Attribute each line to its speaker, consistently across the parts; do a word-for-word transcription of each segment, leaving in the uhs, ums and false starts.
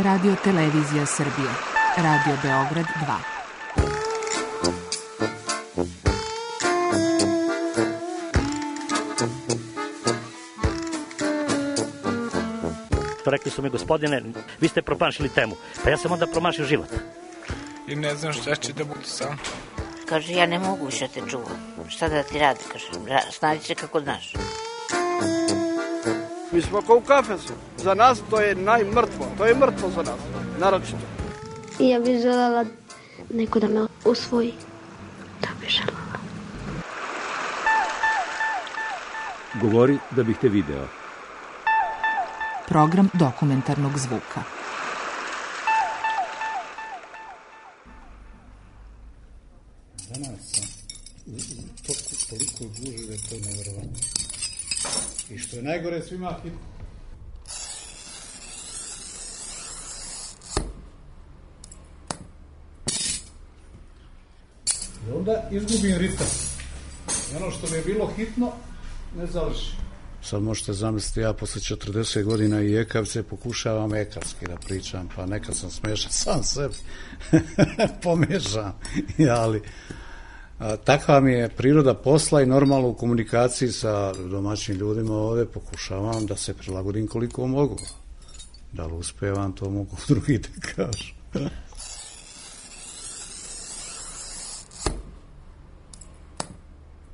Speaker 1: Radio Televizija Srbije, Radio Beograd dva.
Speaker 2: Rekli su mi, gospodine, vi ste promašili temu. Pa ja sam onda promašio život.
Speaker 3: I ne znam šta će da bude sam.
Speaker 4: Kaže, ja ne mogu više te čuvam. Šta da ti radi, kaže, snađi se kako znaš.
Speaker 5: Mi smo kao u kafesu. Za nas to je najmrtvo. To je mrtvo za nas, naročito.
Speaker 6: I ja bih želela neko da me usvoji. Da bih želela.
Speaker 7: Govori da bih te video.
Speaker 1: Program dokumentarnog zvuka.
Speaker 8: Danas sam toliko, toliko guži da je to nevjerovatno. I što je najgore, svima hitno. I onda izgubim ritam. I ono što mi je bilo hitno, ne završi. Sad možete zamisliti, ja posle četrdeset godina i ekavce pokušavam ekavski da pričam, pa nekad sam smešan sam sebi, pomešam, ali a, takva mi je priroda posla i normalno u komunikaciji sa domaćim ljudima ovde pokušavam da se prilagodim koliko mogu. Da li uspevam, to mogu drugi da kažu.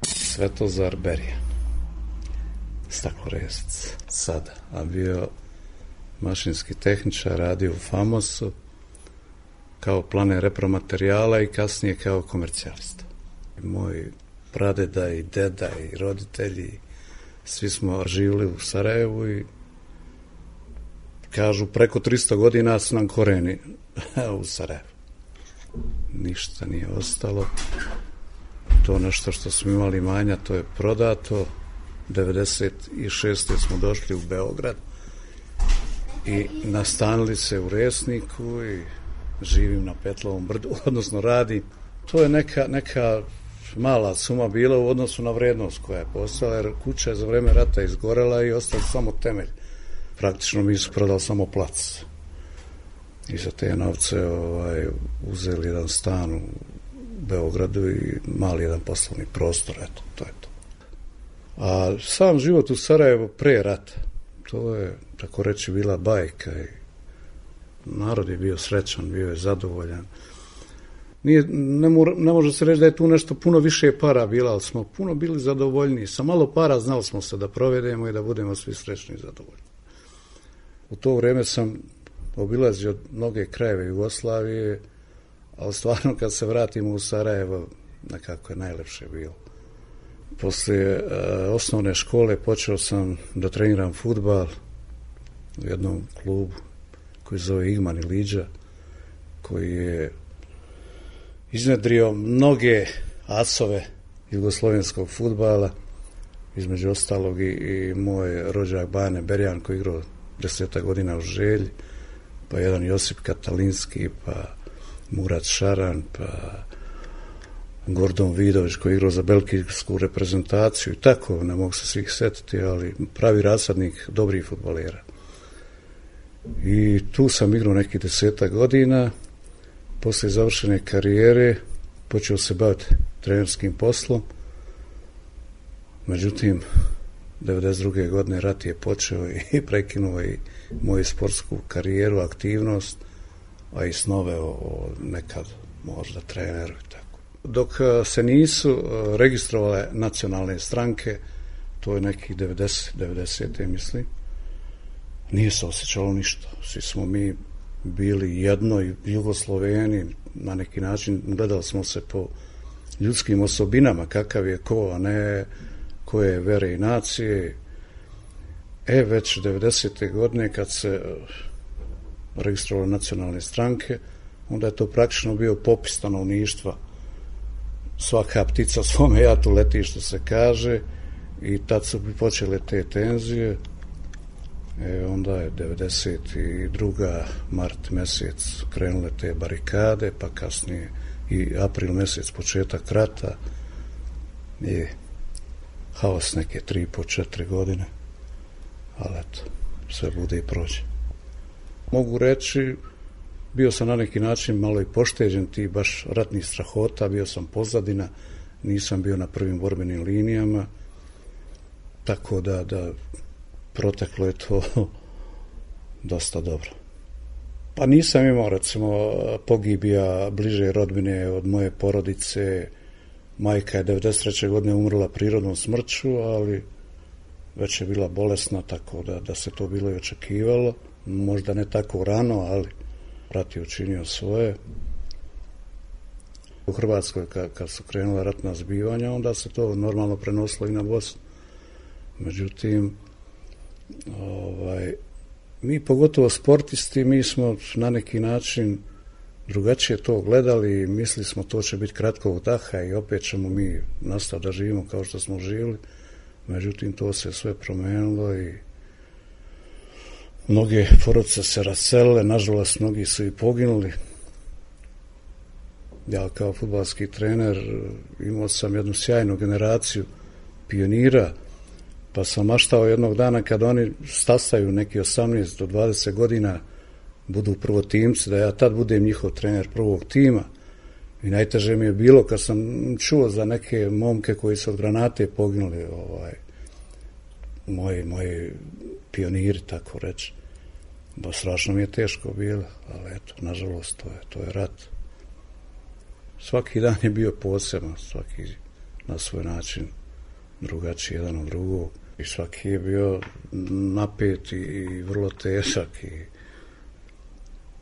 Speaker 8: Svetozar Berija. Staklorezac, sada, a bio mašinski tehničar, radio u Famosu kao planer repromaterijala i kasnije kao komercijalista. Moj pradeda i deda i roditelji, svi smo živjeli u Sarajevu i kažu preko tristo godina su nam koreni u Sarajevu. Ništa nije ostalo. To nešto što smo imali manja, to je prodato. devedeset šeste smo došli u Beograd i nastanili se u Resniku i živim na Petlovom brdu, odnosno radim. To je neka, neka mala suma bila u odnosu na vrednost koja je postala, jer kuća je za vreme rata izgorela i ostao samo temelj. Praktično mi su prodali samo plac. I za te novce ovaj, uzeli jedan stan u Beogradu i mali jedan poslovni prostor, eto, to je to. A sam život u Sarajevu pre rata, to je, tako reći, bila bajka i narod je bio srećan, bio je zadovoljan. Nije, ne, mora, ne može se reći da je tu nešto puno više para bila, ali smo puno bili zadovoljni. Sa malo para znali smo se da provedemo i da budemo svi srećni i zadovoljni. U to vreme sam obilazio mnoge krajeve Jugoslavije, ali stvarno kad se vratimo u Sarajevo, nekako je najlepše bilo. Poslije e, osnovne škole počeo sam da treniram fudbal u jednom klubu koji zove Igman i Liđa, koji je iznedrio mnoge asove jugoslovenskog fudbala, između ostalog i, i moj rođak Bane Berjan koji igrao deseta godina u Želji, pa jedan Josip Katalinski, pa Murat Šaran, pa Gordon Vidović koji je igrao za belgijsku reprezentaciju i tako, ne mogu se svih setiti, ali pravi rasadnik dobrih fudbalera. I tu sam igrao nekih deseta godina, posle završene karijere počeo se baviti trenerskim poslom, međutim, devedeset druge godine rat je počeo i prekinuo i moju sportsku karijeru, aktivnost, a i snove o, o nekad možda treneru i tako. Dok se nisu registrovale nacionalne stranke, to je nekih devedeset, devedesete mislim, nije se osjećalo ništa. Svi smo mi bili jedno i Jugosloveni, na neki način gledali smo se po ljudskim osobinama, kakav je ko, a ne koje vere i nacije. E, već devedesete godine kad se registrovale nacionalne stranke, onda je to praktično bio popis stanovništva. Svaka ptica svome jatu leti, što se kaže, i tad su počele te tenzije. E, onda je devedeset druga mart mesec krenule te barikade, pa kasnije i april mesec početak rata i haos neke tri po četiri godine, ali eto, sve bude i prođe. Mogu reći, bio sam na neki način malo i pošteđen ti baš ratnih strahota, bio sam pozadina, nisam bio na prvim borbenim linijama, tako da, da proteklo je to dosta dobro. Pa nisam imao, recimo, pogibija bliže rodbine od moje porodice. Majka je devedeset treće godine umrla prirodnom smrću, ali već je bila bolesna, tako da, da se to bilo i očekivalo. Možda ne tako rano, ali rat je učinio svoje. U Hrvatskoj, kad, kad su krenula ratna zbivanja, onda se to normalno prenosilo i na Bosnu. Međutim, ovaj, mi, pogotovo sportisti, mi smo na neki način drugačije to gledali i mislili smo to će biti kratkog daha i opet ćemo mi nastaviti da živimo kao što smo živjeli. Međutim, to se sve promenilo i mnoge porodice se raselile, nažalost, mnogi su i poginuli. Ja kao fudbalski trener imao sam jednu sjajnu generaciju pionira, pa sam maštao jednog dana kad oni stasaju neki osamnaest do dvadeset godina, budu prvotimci, da ja tad budem njihov trener prvog tima. I najteže mi je bilo kad sam čuo za neke momke koji su od granate poginuli, ovaj, moji, moji pioniri, tako reći. Ba, strašno mi je teško bilo, ali eto, nažalost, to je, to je rat. Svaki dan je bio poseban, svaki na svoj način drugačiji jedan od drugog. I svaki je bio napet i, i vrlo težak i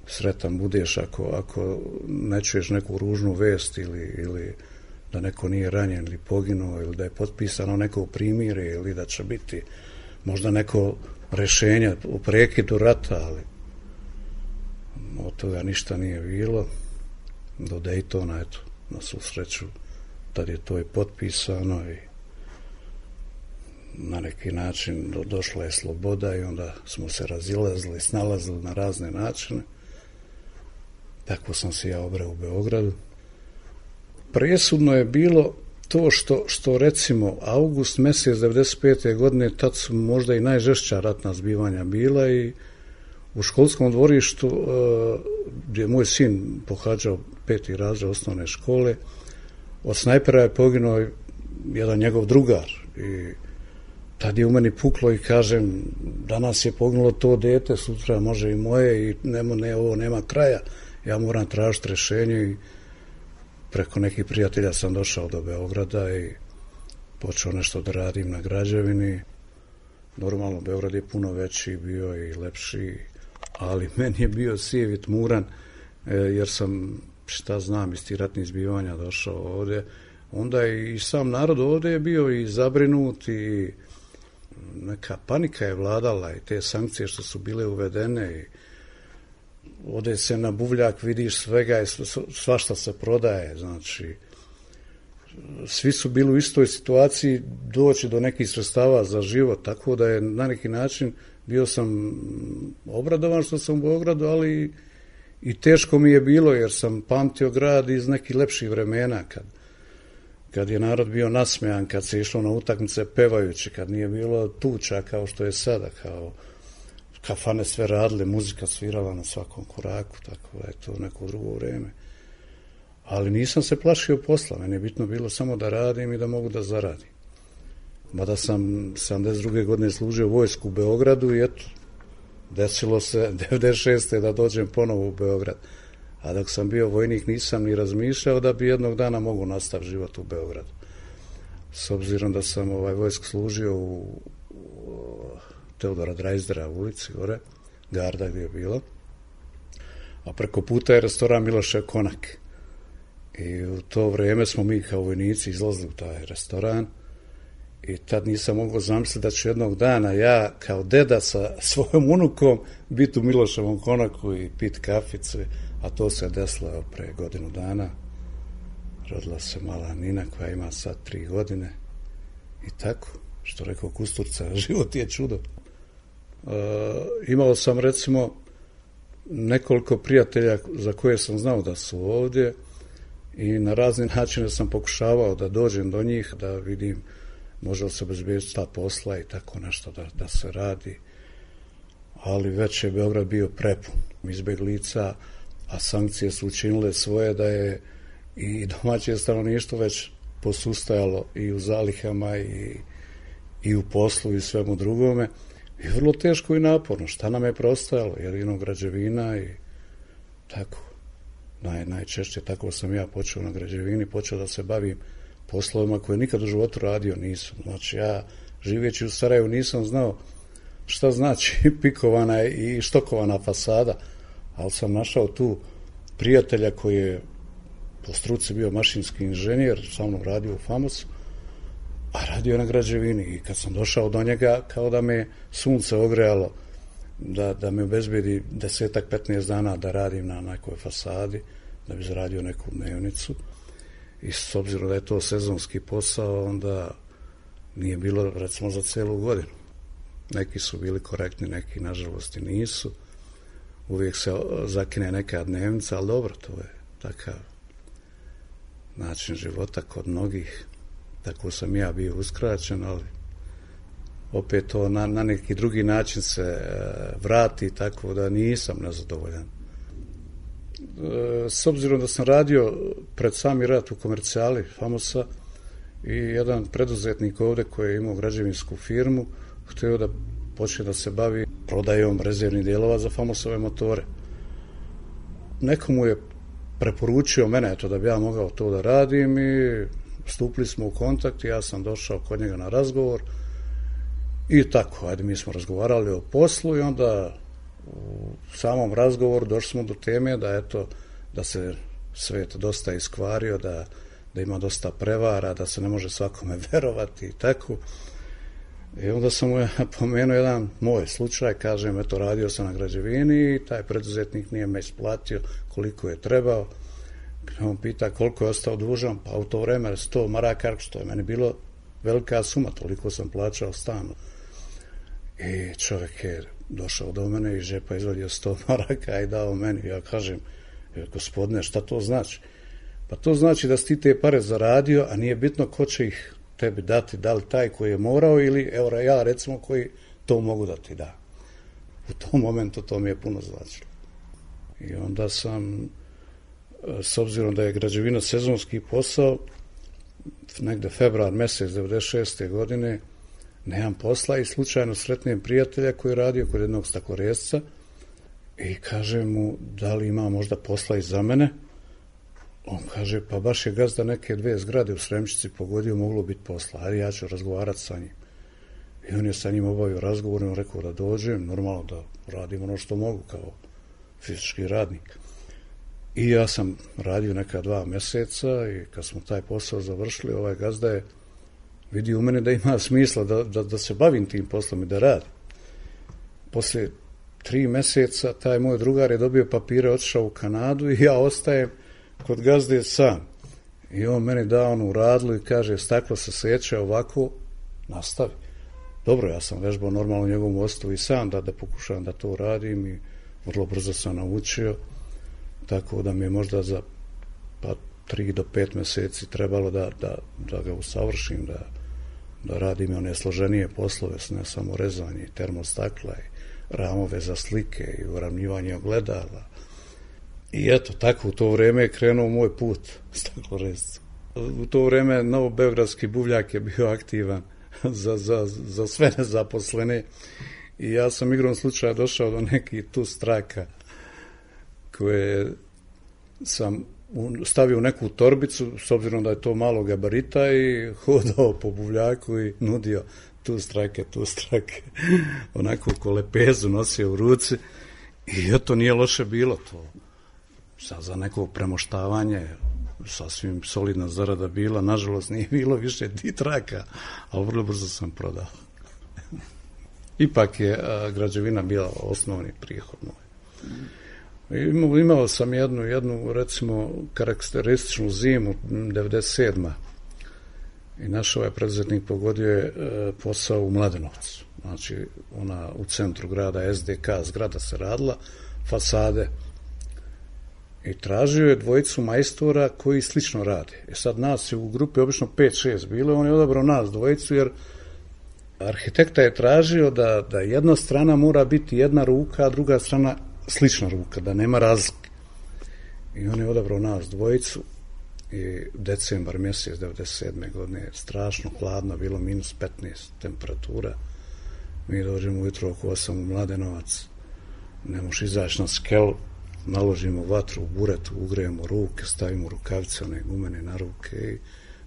Speaker 8: sretan budeš ako, ako ne čuješ neku ružnu vest ili, ili da neko nije ranjen ili poginuo ili da je potpisano neko primirje ili da će biti možda neko rešenje u prekidu rata, ali od toga ništa nije bilo. Do Daytona, eto, na svu sreću, tad je to i potpisano i na neki način do, došla je sloboda i onda smo se razilazili, snalazili na razne načine. Tako sam se ja obrao u Beogradu. Presudno je bilo to što, što recimo avgust mjesec devedeset pete godine, tad su možda i najžešća ratna zbivanja bila i u školskom dvorištu gdje je moj sin pohađao peti razred osnovne škole, od snajpera je poginuo jedan njegov drugar i tad je u meni puklo i kažem, danas je poginulo to dete, sutra može i moje i nema, ne, ovo nema kraja, ja moram tražiti rješenje i preko nekih prijatelja sam došao do Beograda i počeo nešto da radim na građevini. Normalno, Beograd je puno veći bio i lepši, ali meni je bio sijev i tmuran, jer sam, šta znam, iz tih ratnih zbivanja došao ovdje. Onda i sam narod ovdje je bio i zabrinut i neka panika je vladala i te sankcije što su bile uvedene i ovdje se na buvljak vidiš svega i svašta se prodaje, znači svi su bili u istoj situaciji doći do nekih sredstava za život, tako da je na neki način bio sam obradovan što sam u Beogradu, ali i teško mi je bilo jer sam pamtio grad iz nekih lepših vremena, kad, kad je narod bio nasmejan, kad se išlo na utakmice pevajući, kad nije bilo tuča kao što je sada, kao kafane sve radile, muzika svirala na svakom koraku, tako da je to neko drugo vrijeme. Ali nisam se plašio posla, meni je bitno bilo samo da radim i da mogu da zaradim. Mada sam sedamdeset druge godine služio vojsku u Beogradu i eto, desilo se devedeset šeste da dođem ponovo u Beograd. A dok sam bio vojnik nisam ni razmišljao da bi jednog dana mogu nastaviti život u Beogradu. S obzirom da sam ovaj vojsku služio u, u Teodora Drajzdera u ulici gore, Garda gdje je bilo, a preko puta je restoran Milošev Konak. I u to vrijeme smo mi kao vojnici izlazili u taj restoran i tad nisam mogao zamisliti da ću jednog dana ja kao deda sa svojom unukom biti u Miloševom Konaku i pit kaficu, a to se desilo pre godinu dana. Rodila se mala Nina koja ima sad tri godine i tako, što rekao Kusturca, život je čudo. E, imao sam recimo nekoliko prijatelja za koje sam znao da su ovdje i na razne načine sam pokušavao da dođem do njih, da vidim može li se obezbediti ta posla i tako nešto da, da se radi. ali već je Beograd bio prepun izbeglica, a sankcije su učinile svoje da je i domaće stanovništvo već posustajalo i u zalihama i, i u poslu i svemu drugome. I vrlo teško i naporno. Šta nam je preostajalo? Jedino građevina i tako. Naj, najčešće tako sam ja počeo na građevini, počeo da se bavim poslovima koje nikad u životu radio nisam. Znači ja živeći u Sarajevu nisam znao šta znači pikovana i štokovana fasada, ali sam našao tu prijatelja koji je po struci bio mašinski inženjer, sa mnom radio u Famosu, a radio na građevini. I kad sam došao do njega, kao da me sunce ogrejalo, da, da me obezbedi desetak, petnaest dana da radim na nekoj fasadi, da bi zaradio neku dnevnicu. I s obzirom da je to sezonski posao, onda nije bilo, recimo, za celu godinu. Neki su bili korektni, neki, nažalost, i nisu. Uvijek se zakine neka dnevnica, ali dobro, to je takav način života kod mnogih. Tako sam ja bio uskraćen, ali opet to na, na neki drugi način se e, vrati, tako da nisam nezadovoljan. E, s obzirom da sam radio pred sami rat u komercijali Famosa i jedan preduzetnik ovde koji je imao građevinsku firmu, htio da počne da se bavi prodajom rezervnih dijelova za Famosove motore. Neko mu je preporučio mene, eto, da bi ja mogao to da radim i stupili smo u kontakt i ja sam došao kod njega na razgovor i tako, ajde, mi smo razgovarali o poslu i onda u samom razgovoru došli smo do teme da, eto, da se svet dosta iskvario, da, da ima dosta prevara, da se ne može svakome verovati i tako. I onda sam mu pomenuo jedan moj slučaj, kažem, eto, radio sam na građevini i taj preduzetnik nije me isplatio koliko je trebao. On pita koliko je ostao dužan, pa u to vreme sto maraka, što je meni bilo velika suma, toliko sam plaćao stan. I čovjek je došao do mene i iz džepa izvadio sto maraka i dao meni. Ja kažem, gospodine, šta to znači? Pa to znači da si ti te pare zaradio, a nije bitno ko će ih tebi dati, da li taj koji je morao ili, evo ja recimo, koji to mogu da ti da. U tom momentu to mi je puno značilo. I onda sam, s obzirom da je građevina sezonski posao, negde februar mesec devedeset šeste godine, nemam posla i slučajno sretnem prijatelja koji je radio kod jednog stakloresca i kažem mu da li ima možda posla i za mene. On kaže, pa baš je gazda neke dve zgrade u Sremčici pogodio, moglo biti posla, ali ja ću razgovarati sa njim. I on je sa njim obavio razgovor i on rekao da dođem, normalno da radim ono što mogu kao fizički radnik. I ja sam radio neka dva meseca i kad smo taj posao završili, ovaj gazda je vidio u mene da ima smisla da, da, da se bavim tim poslom i da radim. Posle tri meseca taj moj drugar je dobio papire, otišao u Kanadu i ja ostajem kod gazde sam. I on meni da onu radlu i kaže, staklo se seče ovako, nastavi. Dobro, ja sam vežbao normalno u njegovom ostavu i sam da, da pokušavam da to radim i vrlo brzo sam naučio, tako da mi je možda za pa tri do pet meseci trebalo da, da, da ga usavršim, da, da radim one složenije poslove, ne samo rezanje termostakla i ramove za slike i uravnjivanje ogledala. I eto, tako u to vreme je krenuo moj put stakloresca. U to vreme Novobeogradski buvljak je bio aktivan za, za, za sve nezaposlene i ja sam igrom slučaja došao do nekih tu straka koje sam stavio u neku torbicu, s obzirom da je to malo gabarita, i hodao po buvljaku i nudio tu strake, tu strake. Onako ko lepezu nosio u ruci i eto, nije loše bilo to. Sad za neko premoštavanje sasvim solidna zarada bila, nažalost nije bilo više ti traka, ali vrlo brzo sam prodao. Ipak je a, građevina bila osnovni prihod moj. Imao, imao sam jednu, jednu, recimo, karakterističnu zimu, devedeset sedma i naš ovaj preduzetnik pogodio je e, posao u Mladenovcu. Znači, ona u centru grada, S D K zgrada se radila, fasade, i tražio je dvojicu majstora koji slično rade. E sad nas je u grupi obično pet šest bilo, on je odabrao nas dvojicu jer Arhitekta je tražio da, da jedna strana mora biti jedna ruka, a druga strana slična ruka, da nema razlike. I on je odabrao nas dvojicu i decembar mjesec devedeset sedme godine, strašno hladno, bilo minus petnaest temperatura. Mi dođemo ujutro oko osam u Mladenovac, ne možeš izaći na skelu, naložimo vatru u buretu, ugrejemo ruke, stavimo rukavice, one gumene na ruke i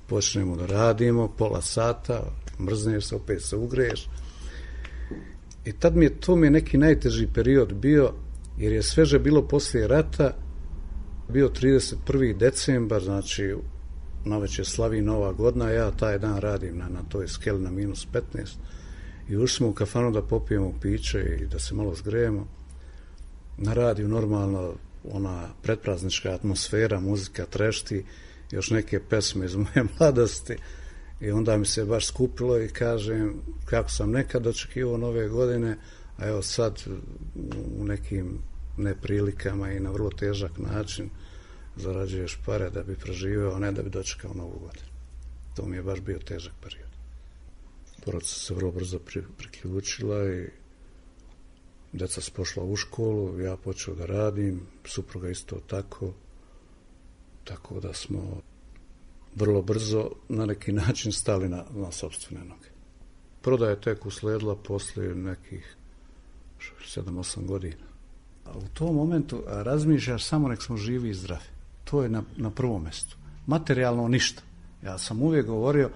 Speaker 8: počnemo da radimo, pola sata, mrzneš se, opet se ugreješ. I tad mi je, to mi je neki najteži period bio, jer je sveže bilo poslije rata, bio trideset prvi decembar, znači navečer slavi Nova godina, ja taj dan radim na, na toj skeli na minus petnaest i ušli smo u kafanu da popijemo piće i da se malo zgrejemo. Na radiju normalno ona predpraznička atmosfera, muzika trešti, još neke pesme iz moje mladosti i onda mi se baš skupilo i kažem kako sam nekad očekivao nove godine, a evo sad u nekim neprilikama i na vrlo težak način zarađuješ pare da bi preživeo, a ne da bi dočekao novu godinu. To mi je baš bio težak period. Porodica se vrlo brzo priključila i deca su pošla u školu, ja počeo da radim, supruga isto tako, tako da smo vrlo brzo na neki način stali na, na sopstvene noge. Prodaja je tek usledila poslije nekih sedam osam godina. A u tom momentu razmišljaš samo nek smo živi i zdravi. To je na, na prvom mjestu. Materijalno ništa. Ja sam uvijek govorio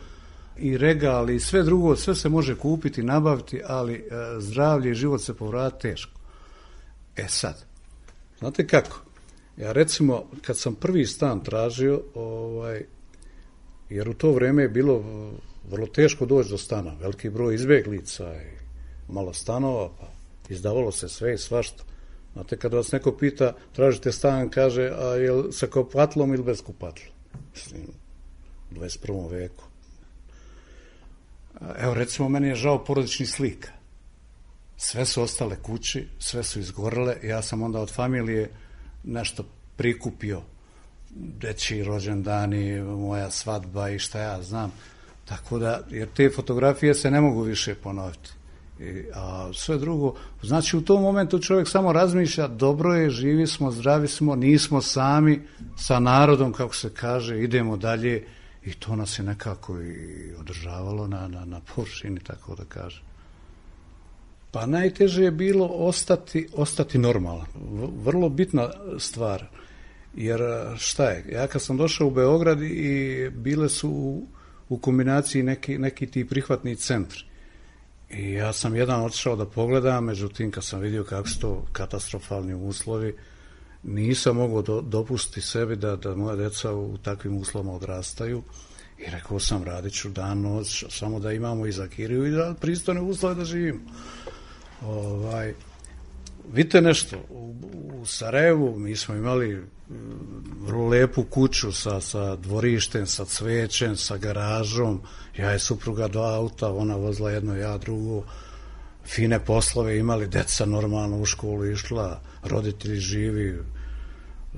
Speaker 8: i regal i sve drugo, sve se može kupiti, nabaviti, ali e, zdravlje i život se povrati teško. E sad, znate kako? Ja recimo, kad sam prvi stan tražio, ovaj, jer u to vrijeme je bilo vrlo teško doći do stana, veliki broj izbjeglica i malo stanova, pa izdavalo se sve i svašta. Znate, kada vas neko pita, tražite stan, kaže, a je li sa kupatlom ili bez kupatla? Mislim, u dvadeset prvom veku. Evo, recimo, meni je žao porodičnih slika. Sve su ostale kući, sve su izgorele, ja sam onda od familije nešto prikupio, dečji rođendani, moja svadba i šta ja znam. Tako da, jer te fotografije se ne mogu više ponoviti. I, a sve drugo, znači u tom momentu čovjek samo razmišlja, dobro je, živi smo, zdravi smo, nismo sami sa narodom, kako se kaže, idemo dalje i to nas je nekako i održavalo na, na, na površini, tako da kažem. Pa najteže je bilo ostati, ostati normalan. Vrlo bitna stvar, jer šta je, ja kad sam došao u Beograd i bile su u, u kombinaciji neki, neki ti prihvatni centri. I ja sam jedan otišao da pogledam, međutim kad sam vidio kako su to katastrofalni uslovi, nisam mogao do, dopustiti sebi da, da moja deca u takvim uslovima odrastaju i rekao sam radit ću dan noć, samo da imamo i za kiriju i da pristojne uslove da živimo. Ovaj, vidite nešto, u, u Sarajevu mi smo imali vrlo lepu kuću sa, sa dvorištem, sa cvećem, sa garažom, ja je supruga dva auta, ona vozila jedno, ja drugo, fine poslove imali, deca normalno u školu išla, roditelji živi,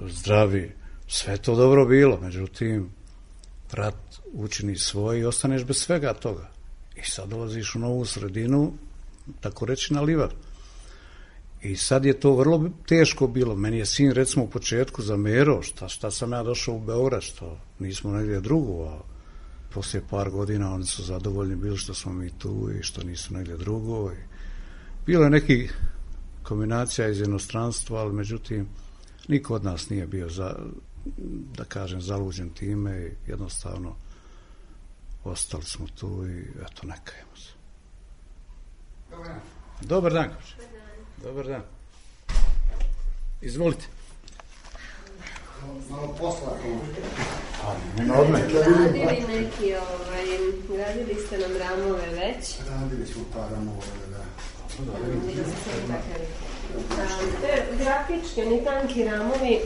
Speaker 8: zdravi, sve to dobro bilo, međutim, rat učini svoj i ostaneš bez svega toga. I sad dolaziš u novu sredinu, tako reći na livadu. I sad je to vrlo teško bilo. Meni je sin recimo u početku zamerao šta, šta sam ja došao u Beograd, što nismo negdje drugo, a poslije par godina oni su zadovoljni bili što smo mi tu i što nisu negdje drugo. I bilo je neki kombinacija iz inostranstva, ali međutim niko od nas nije bio za, da kažem, zaluđen time i jednostavno ostali smo tu i eto, ne kajemo se. Dobar dan. Dobar dan. Dobar dan. Izvolite.
Speaker 9: Malo posla.
Speaker 8: Nema odme.
Speaker 9: Radili neki, ovaj, radili ste nam ramove već? Radili smo pa ramove, da. Te grafičke, ni tanki ramovi.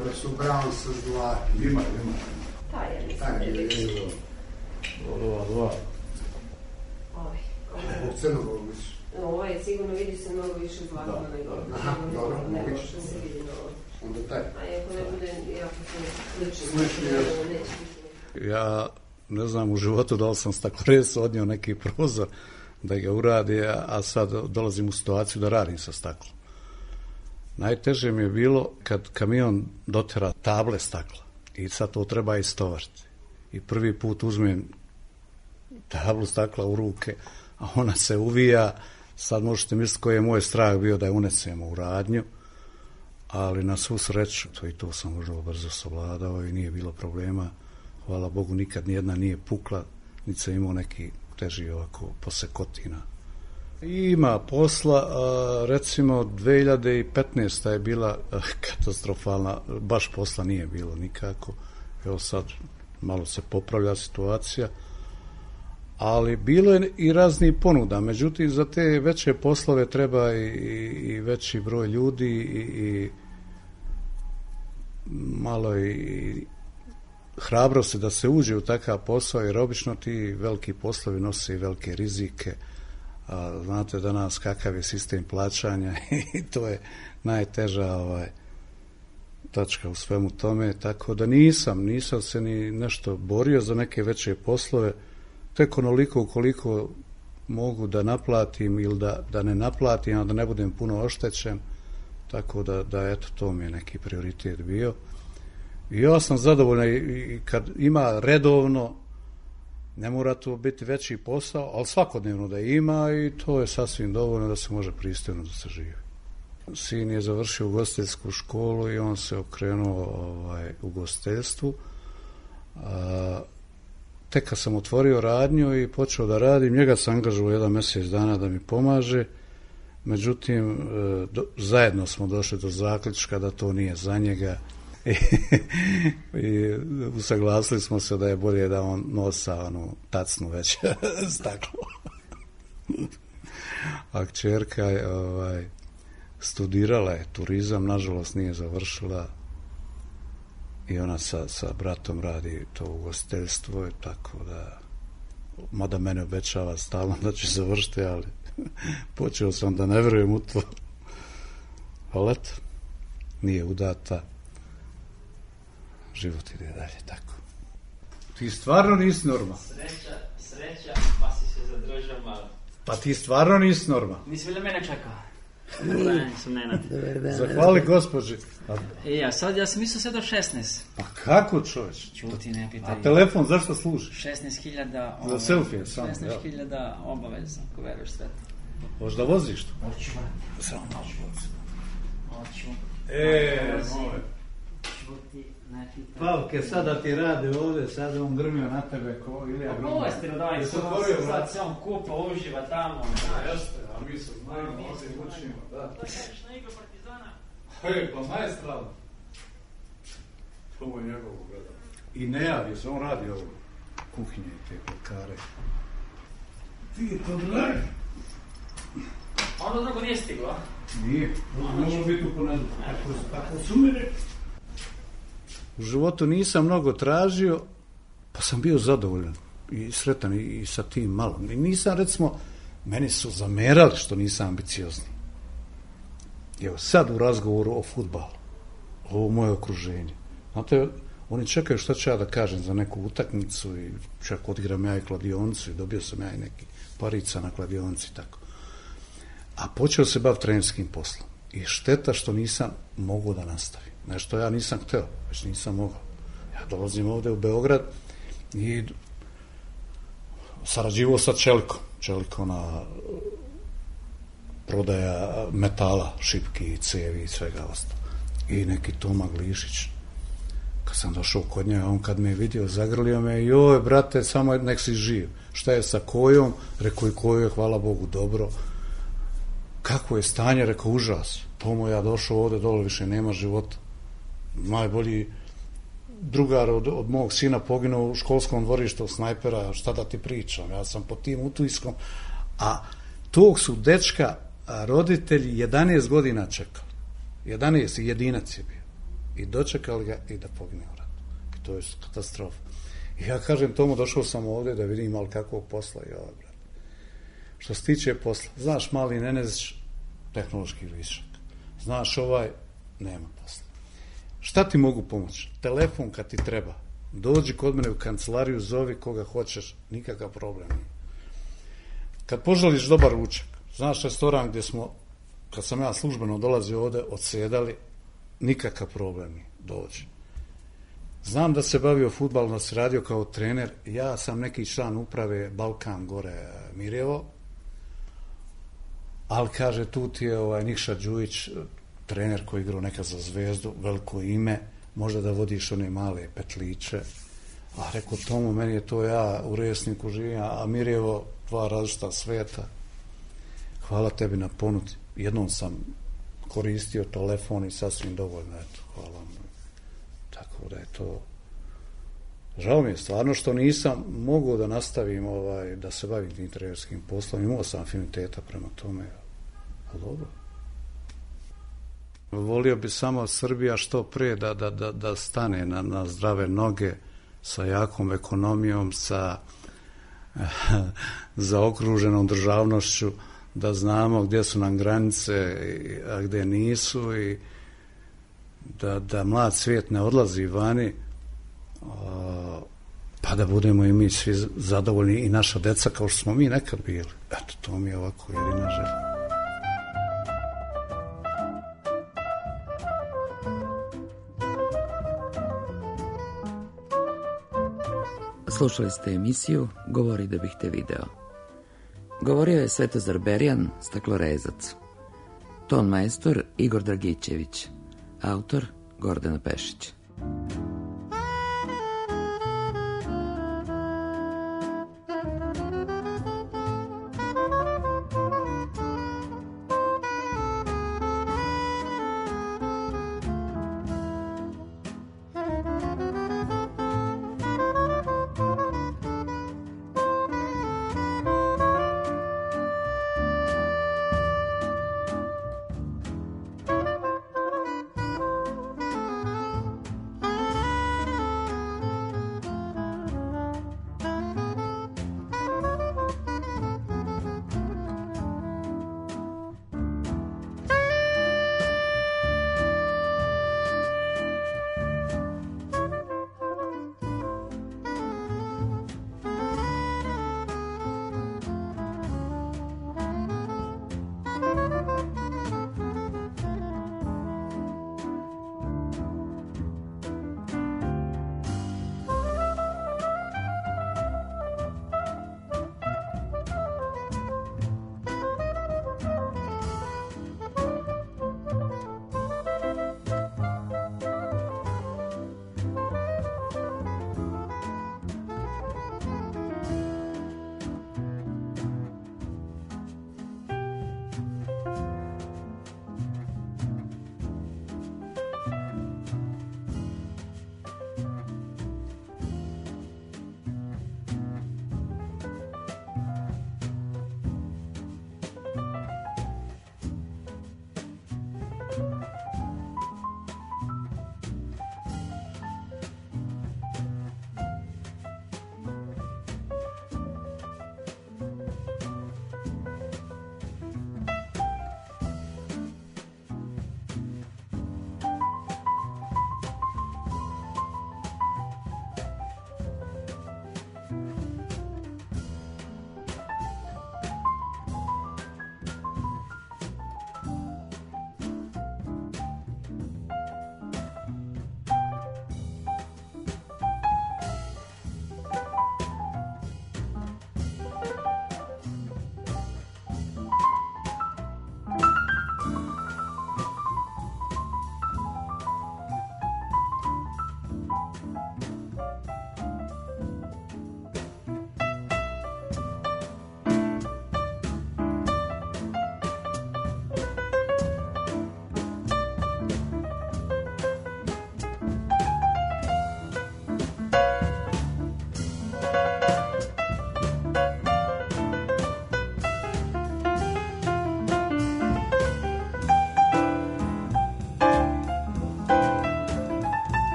Speaker 9: Ovo su brown sa zlatom.
Speaker 8: Ima, ima.
Speaker 9: Taj je, mislim.
Speaker 8: Ova, ova.
Speaker 9: Ovaj.
Speaker 8: U crnogovu su.
Speaker 9: Ovo je sigurno, vidi se mnogo više zlatno nego.
Speaker 8: Aha, dobro,
Speaker 9: nego što se vidi na ovo.
Speaker 8: Onda taj.
Speaker 9: A ako ne bude, jako se slično.
Speaker 8: Ja ne znam u životu da li sam stakleresu odnio neki prozor, da ga uradi, a sad dolazim u situaciju da radim sa staklom. Najteže mi je bilo kad kamion dotera table stakla i sad to treba istovariti. I prvi put uzmem tablu stakla u ruke, a ona se uvija. Sad možete misliti koji je moj strah bio da je unesemo u radnju, ali na svu sreću to i to sam vrlo brzo savladao i nije bilo problema. Hvala Bogu, nikad nijedna nije pukla, niti sam imao neki teži ovako posekotina. Ima posla, recimo dve hiljade petnaesta je bila katastrofalna, baš posla nije bilo nikako. Evo sad malo se popravlja situacija, ali bilo je i raznih ponuda. Međutim, za te veće poslove treba i, i veći broj ljudi i, i malo i hrabrosti da se uđe u takav posao, jer obično ti veliki poslovi nose i velike rizike. A znate danas kakav je sistem plaćanja i to je najteža ovaj, tačka u svemu tome, tako da nisam, nisam se ni nešto borio za neke veće poslove, tek onoliko koliko mogu da naplatim ili da, da ne naplatim, a da ne budem puno oštećen, tako da, da eto, to mi je neki prioritet bio. I ja sam zadovoljan i kad ima redovno, ne mora to biti veći posao, ali svakodnevno da ima i to je sasvim dovoljno da se može pristojno da se živi. Sin je završio ugostiteljsku školu i on se okrenuo ovaj, ugostiteljstvu. A, tek kad sam otvorio radnju i počeo da radim, njega sam angažovao jedan mjesec dana da mi pomaže, međutim, do, zajedno smo došli do zaključka da to nije za njega. I, i usaglasili smo se da je bolje da on nosa onu tacnu već staklo. A kćerka je ovaj, studirala je turizam, nažalost nije završila i ona sa, sa bratom radi to ugostiteljstvo, tako da, mada mene obećava stalno da će završiti, ali počeo sam da ne vjerujem u to. Ali eto, nije udata. Život ide dalje, tako. Ti stvarno nisi normalan.
Speaker 10: Sreća, sreća, pa si se zadržao malo.
Speaker 8: Pa ti stvarno nisi normalan.
Speaker 10: Nisi bilo mene čekao. Dobar sam Nenad.
Speaker 8: Zahvali gospođi.
Speaker 10: E, ja sad, ja sam mislio sve do šesnaest.
Speaker 8: Pa kako čovječ?
Speaker 10: Čuti, ne pitaj.
Speaker 8: A telefon zašto služi?
Speaker 10: šesnaest hiljada...
Speaker 8: Za selfie sam.
Speaker 10: šesnaest hiljada obavezno, ako veruješ sve to.
Speaker 8: Hoćeš da voziš to?
Speaker 10: Hoću, samo hoću. Hoću.
Speaker 8: E, moj. Pavke, sada ti rade ovdje, sada on grmio na tebe ko Ilija Grumba.
Speaker 10: Pa povestino, daj, sad se on kupa, uživa tamo.
Speaker 8: A, jeste, a mi se znajmo, ovdje učimo, da.
Speaker 10: Da kažeš na igru Partizana?
Speaker 8: Hej, pa majestralno. To mu je njegovo gledao. I ne javi se, on radi ovo. Kuhinje i te pekare. Ti to dragi.
Speaker 10: Ono drugo nije stiglo, a?
Speaker 8: Nije, možemo biti u ponedjeljak. Tako su mi rekli. U životu nisam mnogo tražio, pa sam bio zadovoljan i sretan i sa tim malo. I nisam, recimo, meni su zamerali što nisam ambiciozni. Evo, sad u razgovoru o fudbalu, ovo moje okruženje. Znate, oni čekaju šta ću ja da kažem za neku utakmicu i čak odigram ja i kladionicu i dobio sam ja i neki parica na kladionici, tako. A počeo se bav trenerskim poslom. I šteta što nisam mogao da nastavim. Nešto ja nisam hteo, već nisam mogao. Ja dolazim ovde u Beograd i sarađivao sa Čelikom. Čeliko na prodaja metala, šipki, cevi i svega ostalo. I neki Toma Glišić. Kad sam došao kod njega, on kad me je vidio, zagrlio me, joj, brate, samo nek si živ. Šta je sa kojom? Rekao i koju je, hvala Bogu, dobro. Kako je stanje? Rekao, užas. Tomo, ja došao ovde, dole više nema života. Najbolji drugar od, od mog sina poginuo u školskom dvorištu snajpera, šta da ti pričam, ja sam pod tim utujskom, a tog su dečka roditelji jedanaest godina čekali, jedanaest i jedinac je bio, i dočekali ga i da pogine u ratu, i to je katastrofa. I ja kažem Tomu, došao sam ovde da vidim malo kakvog posla i ovaj, brat. Što se tiče posla, znaš, mali Nenezić, tehnološki višak, znaš ovaj, nema posla. Šta ti mogu pomoći? Telefon kad ti treba. Dođi kod mene u kancelariju, zovi koga hoćeš, nikakav problem nije. kad poželiš dobar ručak, znaš restoran gdje smo, kad sam ja službeno dolazio ovde, odsjedali, nikakav problem mi dođe. Znam da se bavio fudbalom, da se radio kao trener, ja sam neki član uprave Balkan gore Mirjevo, ali kaže, tu ti je ovaj Nikša Đujić, trener koji igrao nekad za Zvezdu, veliko ime, možda da vodiš one male petliće. A rekao Tomu, meni je to, ja u Resniku živim, a Mirjevo, dva različita sveta. Hvala tebi na ponudi. Jednom sam koristio telefon i sasvim dovoljno, eto, hvala vam. Tako da je to... Žao mi je stvarno što nisam mogao da nastavim, ovaj, da se bavim tim trenerskim poslom. Imao sam afiniteta prema tome, ali dobro. Volio bi samo Srbija što pre da, da, da, da stane na, na zdrave noge, sa jakom ekonomijom, sa zaokruženom državnošću, da znamo gdje su nam granice, a gdje nisu, i da, da mlad svijet ne odlazi vani, a, pa da budemo i mi svi zadovoljni i naša deca kao što smo mi nekad bili. Eto, to mi je ovako jedina želja.
Speaker 1: Slušali ste emisiju Govori da bih te video. Govorio je Svetozar Berjan, staklorezac. Ton majstor Igor Dragićević. Autor Gordana Pešić.